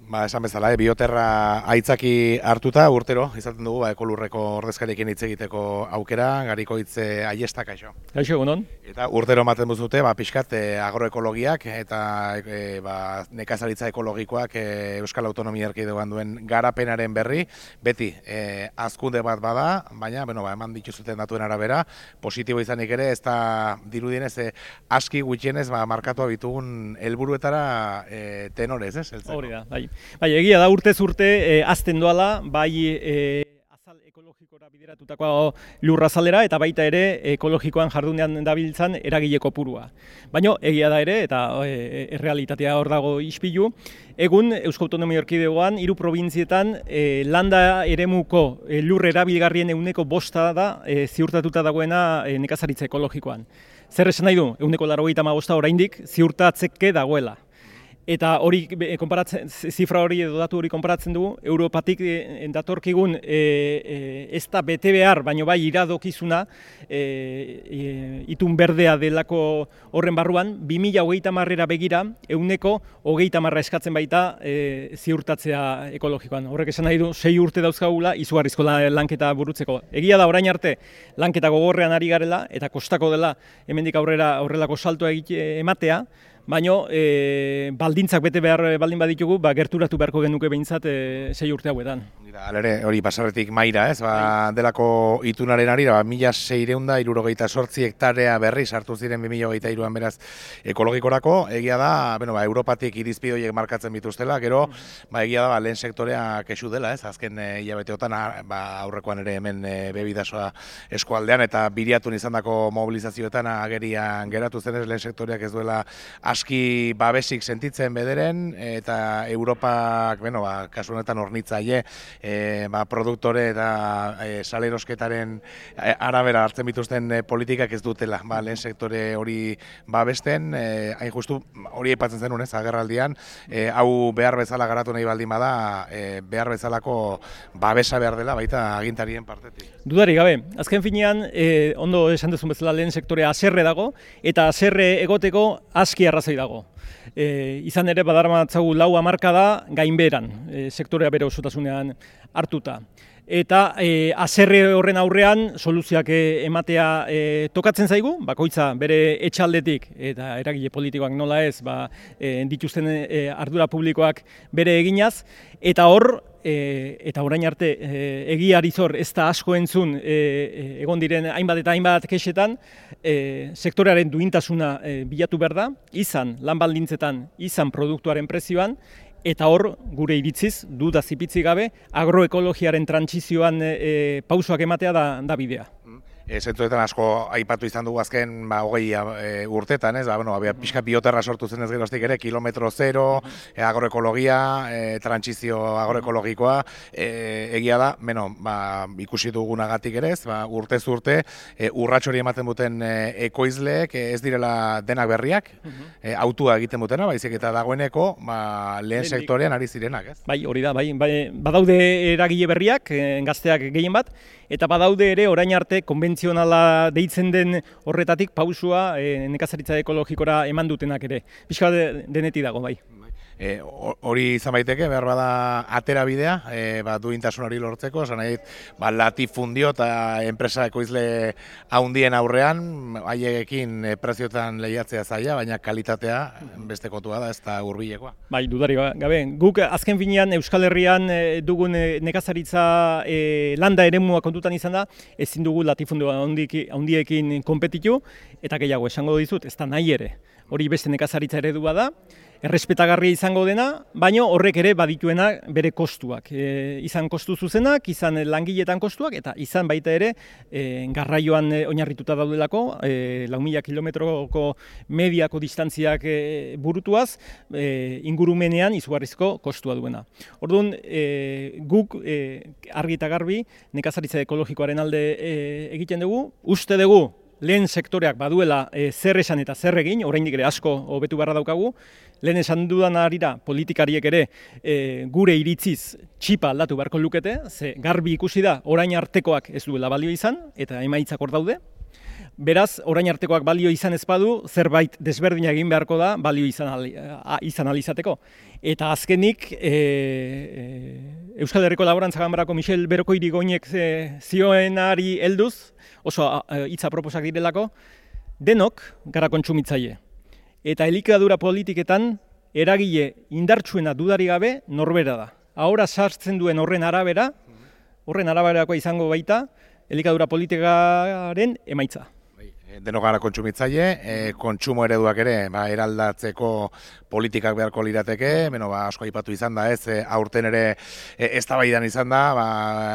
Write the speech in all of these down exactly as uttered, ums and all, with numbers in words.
Ba, esan bezala, eh, bioterra aitzaki hartuta urtero, izaten dugu, ba, ekolurreko ordezkariekin hitz egiteko aukera, gariko hitz aiesta, kaixo. Kaixo, egunon. Eta urtero ematen duzute, ba, pixkat eh, agroekologiak eta eh, ba, nekazaritza ekologikoak eh, Euskal Autonomia Erkidegoan duen garapenaren berri, beti eh, hazkunde bat bada, baina, bueno, ba, eman dituzuten datuen arabera, positibo izanik ere, ez da dirudienez, eh, aski gutxienez, ba, markatua bitugun helburuetara eh, tenorez, ez? Hori da, bai. Bai, egia da urtez urte eh, azten doala, bai eh, azal ekologikora bideratutako lurrazalera eta baita ere ekologikoan jardunean dabiltzan eragile kopurua. Baina egia da ere, eta e, errealitatea hor dago ispilu, egun Euskal Autonomia Erkidegoan hiru probintzietan e, landa eremuko e, lur erabilgarrien ehuneko bosta da e, ziurtatuta dagoena e, nekazaritza ekologikoan. Zer esan nahi du, ehuneko laurogeita hamabosta oraindik ziurtatzeke dagoela. Eta hori konparatzen, zifra hori edo datu hori konparatzen dugu, Europatik e, datorkigun e, e, ez da bete behar, baino bai iradokizuna e, e, itun berdea delako horren barruan, bi mila hogeita hamarera begira, ehuneko hogeita hamarra eskatzen baita e, ziurtatzea ekologikoan. Horrek esan nahi du, sei urte dauzkagula, izugarrizko lanketa burutzeko. Egia da orain arte, lanketa gogorrean ari garela, eta kostako dela hemendik aurrera horrelako saltoa egite ematea, baina e, baldintzak bete behar baldin baditugu, ba, gerturatu beharko genuke behintzat e, sei urte hauetan. Alere, hori pasarretik maira, ez? Ba, delako itunaren arira, ba, mila seiehun eta hirurogeita zortzi hektarea berri sartu ziren bi mila hogeita hiruan beraz ekologikorako. Egia da, bueno, ba, Europatik irizpide horiek markatzen bituztela, gero ba, egia da ba, lehen sektorea kexu dela, ez? Azken e, hilabeteotan ba, aurrekoan ere hemen e, bebidasoa eskualdean eta biriatun izandako mobilizazioetan agerian geratu zenez lehen sektoreak ez duela aski babesik sentitzen bederen, eta Europak, bueno, ba, kasu honetan hornitzaile, e, ba, produktore eta e, salerosketaren e, arabera hartzen bituzten e, politikak ez dutela, ba, lehen sektore hori babesten, e, hain justu hori aipatzen zenun, ez, agerraldian, e, hau behar bezala garatu nahi baldin bada, e, behar bezalako babesa behar dela, baita agintarien partetik. Dudari gabe, azken finean, e, ondo esan duzun bezala lehen sektorea haserre dago, eta haserre egoteko aski arrazoi dago. E, izan ere badarmatzagu lau hamarkada gainbeheran, e, sektorea bere osotasunean hartuta. Eta e, haserre horren aurrean soluzioak ematea e, tokatzen zaigu, bakoitza bere etxaldetik eta eragile politikoak nola ez, ba, e, dituzten e, ardura publikoak bere eginaz, eta hor, E, eta orain arte e, egiari zor ez da asko entzun e, e, egon diren hainbat eta hainbat kexetan, e, sektorearen duintasuna e, bilatu behar da, izan lan baldintzetan, izan produktuaren prezioan, eta hor, gure iritziz, duda zipitzi gabe, agroekologiaren trantsizioan e, pausoak ematea da, da bidea. E, Zentzuetan asko aipatu izan dugu azken ba, hogei e, urtetan, ez? Ba, bueno, ba, pixka bioterra sortu zen ez geroztik ere, kilometro zero, e, agroekologia, e, trantsizio agroekologikoa, e, egia da, bueno, ba, ikusi dugunagatik ere ez, ba, urtez urte, e, urratxori ematen duten e, ekoizleek e, ez direla denak berriak, e, autua egiten dutena, baizik eta dagoeneko ba, lehen sektorean ari zirenak, ez? Bai, hori da, bai, bai, badaude eragile berriak, e, gazteak gehien bat, eta badaude ere orain arte konbentzionala deitzen den horretatik pausua e, nekazaritza ekologikora eman dutenak ere. Pixka de, denetik dago, bai. E, hori izan baiteke, behar bada atera bidea, e, ba, duintasun hori lortzeko, esan nahi, ba, latifundio eta enpresa ekoizle haundien aurrean, haiekin e, prezioetan lehiatzea zaila, baina kalitatea beste kontua da, ez da hurbilekoa. Bai, dudari gabe. Guk azken finean Euskal Herrian e, dugun e, nekazaritza e, landa eremua kontutan izan da, ezin dugu latifundio haundiekin konpetitu, eta gehiago esango dizut, ez da nahi ere. Hori beste nekazaritza eredua da, errespetagarria izango dena, baina horrek ere badituena bere kostuak. E, izan kostu zuzenak, izan langiletan kostuak, eta izan baita ere e, garraioan e, oinarrituta daudelako, e, lau mila kilometroko mediako distantziak e, burutuaz, e, ingurumenean izugarrizko kostua duena. Orduan, e, guk e, argi eta garbi nekazaritza ekologikoaren alde e, egiten dugu, uste dugu, lehen sektoreak baduela e, zer esan eta zer egin, oraindik ere asko hobetu beharra daukagu, lehen esan dudan arira politikariek ere e, gure iritziz txipa aldatu beharko lukete, ze garbi ikusi da orain artekoak ez duela balio izan, eta emaitzak hor daude, Beraz, orain artekoak balio izan ez badu, zerbait desberdina egin beharko da balio izan, ali, a, izan alizateko. Eta azkenik, e, e, Euskal Herriko Laborantza Ganbarako Michel Berokoirigoinek e, zioenari helduz, oso hitza proposak direlako, denok gara kontsumitzaile. Eta elikadura politiketan eragile indartsuena dudari gabe norbera da. Ahora sartzen duen horren arabera, horren araberakoa izango baita, elikadura politikaren emaitza. Denok gara kontsumitzaile, e, kontsumo ereduak ere ba, eraldatzeko politikak beharko lirateke, beno, ba, asko aipatu izan da, ez, e, aurten ere e, eztabaidan izan da, ba,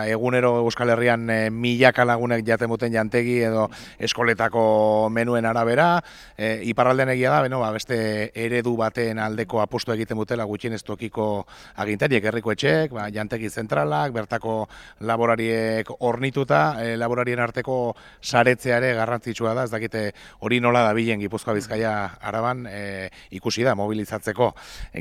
egunero Euskal Herrian e, milaka lagunek jaten duten jantegi edo eskoletako menuen arabera, e, iparraldean egia da, beno, ba, beste eredu baten aldeko apostu egiten dutela gutxienez tokiko agintariek, herriko etxeek, ba, jantegi zentralak, bertako laborariek hornituta, e, laborarien arteko saretzea ere garrantzitsua da, ez dakite hori nola da bilen Gipuzkoa Bizkaia Araban e, ikusi da mobilizatzeko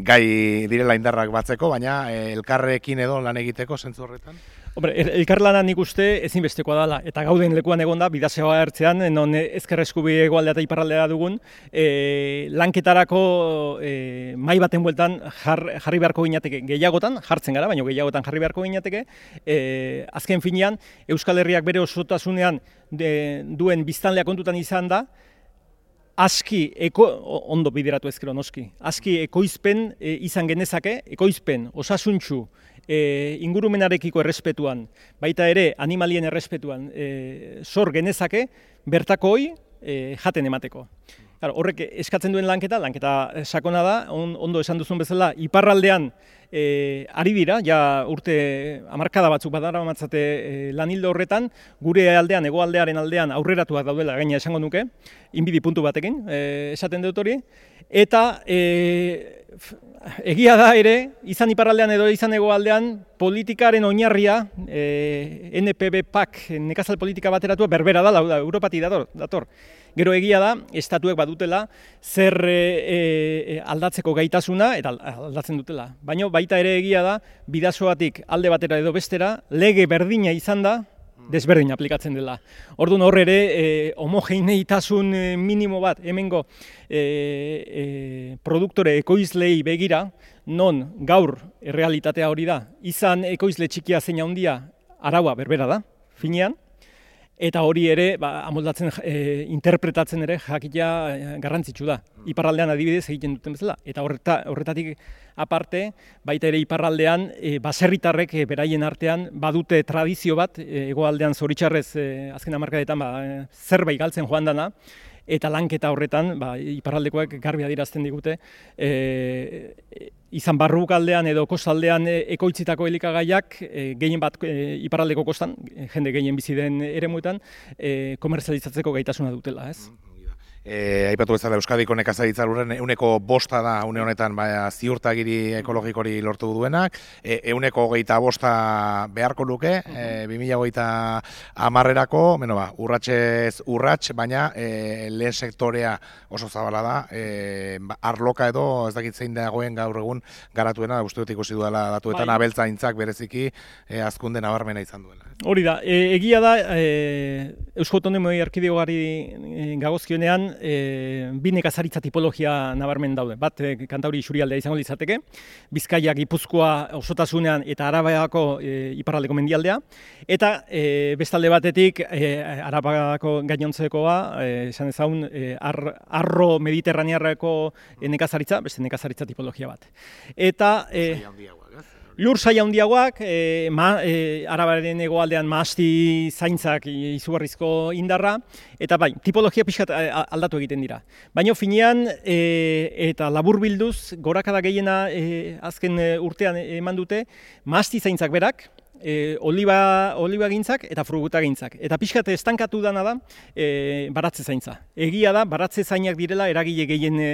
gai direla indarrak batzeko, baina e, elkarrekin edo lan egiteko zentzu horretan? Hombre, elkarlana nik uste ezinbestekoa dela, eta gauden lekuan egon da, bidasoa ertzean, non ezker eskubi hegoaldea eta iparraldea dugun, e, lanketarako e, mai baten bueltan jar, jarri beharko ginateke gehiagotan, jartzen gara, baina gehiagotan jarri beharko ginateke, e, azken finean, Euskal Herriak bere osotasunean de, duen biztanlea kontutan izan da, aski, eko, ondo bideratu ezkero noski, aski ekoizpen e, izan genezake, ekoizpen osasuntsu, E, ingurumenarekiko errespetuan, baita ere animalien errespetuan e, sor genezake, bertakoi e, jaten emateko. Claro, horrek eskatzen duen lanketa, lanketa sakona da, on, ondo esan duzun bezala, iparraldean e, ari dira, ja urte hamarkada batzuk badara matzate e, lanildo horretan, gure aldean, hegoaldearen aldean aurreratuak daudela gaina esango nuke, inbidi puntu batekin, e, esaten dut hori, eta e, egia da ere, izan iparraldean edo izan hegoaldean, politikaren oinarria, e, N P B P A K, nekazal politika bateratua berbera da, da Europati dator, dator. Gero egia da, estatuek badutela zer e, e, aldatzeko gaitasuna, eta aldatzen dutela. Baina baita ere egia da, bidasoatik alde batera edo bestera, lege berdina izan da, desberdin aplikatzen dela. Orduan hor ere, e, homogeneitasun minimo bat, hemengo e, e, produktore ekoizlei begira, non gaur errealitatea hori da, izan ekoizle txikia zein handia araua berbera da, finean, eta hori ere, ba, amoldatzen, e, interpretatzen ere jakitea garrantzitsu da. Iparraldean adibidez egiten duten bezala. Eta horreta, horretatik aparte, baita ere iparraldean, e, baserritarrek e, beraien artean badute tradizio bat, e, hegoaldean zoritxarrez e, azken hamarkadetan ba, e, zerbait galtzen joan dana, eta lanketa horretan, ba, iparraldekoak garbi adierazten digute, e, izan barrukaldean edo kostaldean ekoitzitako elikagaiak, e, gehien bat e, iparraldeko kostan, jende gehien bizi den eremuetan, e, komerzializatzeko gaitasuna dutela, ez? E, aipatu bezala Euskadiko nekazaritza lurren ehuneko bosta da une honetan ba, ziurtagiri ekologikori lortu duenak, e, ehuneko hogeita bosta beharko luke, e, bi mila hogeita hamarrerako, bueno, ba, urratsez urrats, baina e, lehen sektorea oso zabala da, e, ba, arloka edo ez dakit zein dagoen gaur egun garatuena, uste dut ikusi duela datuetan bai. Abeltzaintzak bereziki e, hazkunde nabarmena izan duela. Hori da, e, egia da e, Eusko Autonomia Erkidegori e, gagozkionean e, bi nekazaritza tipologia nabarmen daude. Bat, e, Kantauri isurialdea izango litzateke, Bizkaia, Gipuzkoa osotasunean eta Arabako e, iparraldeko mendialdea, eta e, bestalde batetik e, Arabako gainontzekoa, e, esan ezagun, e, ar, arro mediterranearreko e, nekazaritza, beste nekazaritza tipologia bat. Eta e, lur saia handiagoak, e, ma, e, Arabaren hegoaldean mahasti zaintzak izugarrizko indarra, eta bai, tipologia pixkat aldatu egiten dira. Baina finean, e, eta laburbilduz, gorakada gehiena e, azken urtean eman dute, mahasti zaintzak berak, E, oliba, oliba gintzak eta fruguta gintzak. Eta pixkat estankatu dana da e, baratze zaintza. Egia da, baratze zainak direla eragile gehien e,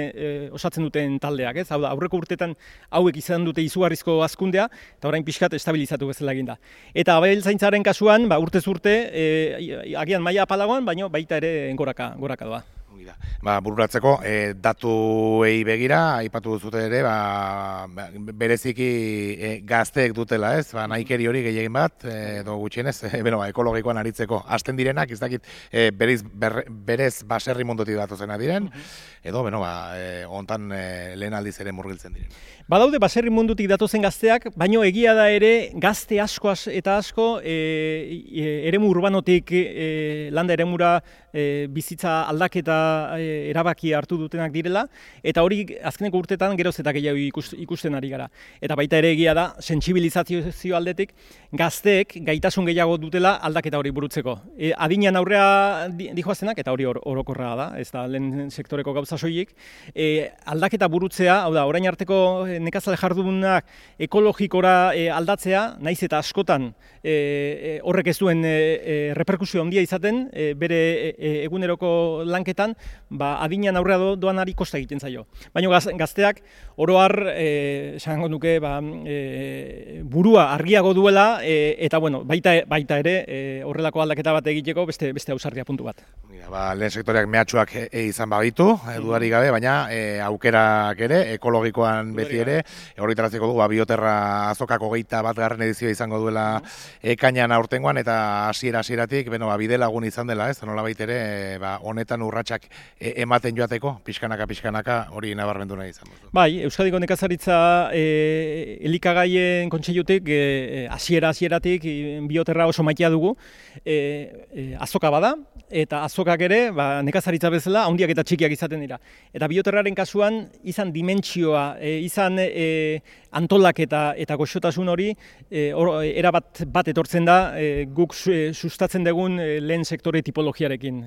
osatzen duten taldeak. Ez? Hau da, aurreko urtetan hauek izan dute izugarrizko hazkundea, eta orain pixkat estabilizatu bezala egin da. Eta abeltzaintzaren kasuan, ba, urtez urte, e, agian maila apalagoan, baina baita ere goraka, goraka doa. Ba, bururatzeko, e, datuei begira, aipatu duzute ere, ba, bereziki e, gazteek dutela, ez? Ba, nahikeri hori gehiagin bat, e, edo gutxienez, e, beno, ba, ekologikoan aritzeko. Hasten direnak, ez dakit, e, berez, ber, berez baserri mundutik datuzena diren, edo, beno, ba, e, ontan e, lehen aldiz ere murgiltzen diren. Badaude baserri mundutik datozen gazteak, baino egia da ere gazte asko eta asko e, e, eremu urbanotik e, landa eremura e, bizitza aldaketa e, erabaki hartu dutenak direla, eta hori azkeneko urtetan geroz eta gehiago ikusten ari gara. Eta baita ere egia da, sentsibilizazio aldetik, gazteek gaitasun gehiago dutela aldaketa hori burutzeko. E, adinean aurrea dihoazenak, eta hori or, orokorra da, ez da lehen sektoreko gauza soilik, e, aldaketa burutzea, hau da, orain arteko nekazale jardunak ekologikora e, aldatzea, naiz eta askotan e, e, horrek ez duen e, e, reperkusio handia izaten, e, bere e, eguneroko lanketan, ba, adinean aurrea do, doanari kosta egiten zaio. Baina gaz, gazteak oroar, e, esango nuke, ba, e, burua argiago duela, e, eta bueno, baita, baita ere e, horrelako aldaketa bat egiteko beste, beste ausardia puntu bat. Ba, lehen sektoreak mehatxuak e, e, izan babitu, e, dudarik gabe, baina e, aukerak ere, ekologikoan beti ere, horretaraziko du, ba, bioterra azokako geita bat garren edizioa izango duela ekainan aurtengoan, eta hasiera hasieratik beno, ba, bide lagun izan dela, ez, nola baitere, e, ba, honetan urratsak e, ematen joateko, pixkanaka, pixkanaka, hori nabarmendu nahi izan. Bai, Euskadiko nekazaritza e, elikagaien kontseilutik, hasiera hasieratik e, bioterra oso maitea dugu, e, e, azoka bada, eta azokak ere, ba, nekazaritza bezala, handiak eta txikiak izaten dira. Eta bioterraren kasuan, izan dimentsioa, e, izan e, antolaketa eta goxotasun hori, e, or, era bat, bat etortzen da, e, guk e, sustatzen dugun e, lehen sektore tipologiarekin.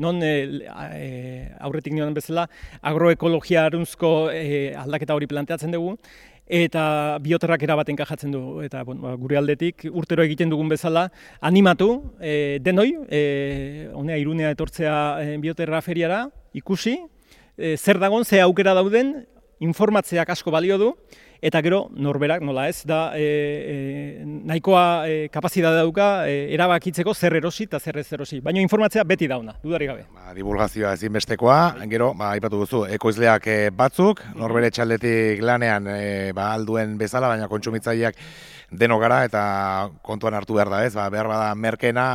Non, e, e, aurretik nioan bezala, agroekologia arunzko e, aldaketa hori planteatzen dugu, eta bioterrak erabat enkajatzen du. Eta bueno, gure aldetik urtero egiten dugun bezala animatu e, denoi, e, honea Irunea etortzea e, bioterra feriara, ikusi, e, zer dagon, ze aukera dauden, informatzeak asko balio du, eta gero norberak, nola ez, da e, e, nahikoa e, kapazitatea dauka e, erabakitzeko zer erosi eta zer ez erosi. Baina informatzea beti dauna, dudarik gabe. Ba, divulgazioa ezinbestekoa, gero, ba, aipatu duzu, ekoizleak e, batzuk, norbere txaldetik lanean e, ba, alduen bezala, baina kontsumitzaileak deno gara eta kontuan hartu behar da, ez? Ba, behar bada merkena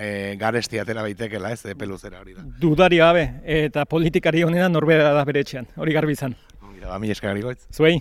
e, garesti atera baitekela, ez? E, peluzera hori da. Dudarik gabe, eta politikari honena norbera da bere etxean, hori garbi izan. Ba, mi eskerrik goitz. Zuei.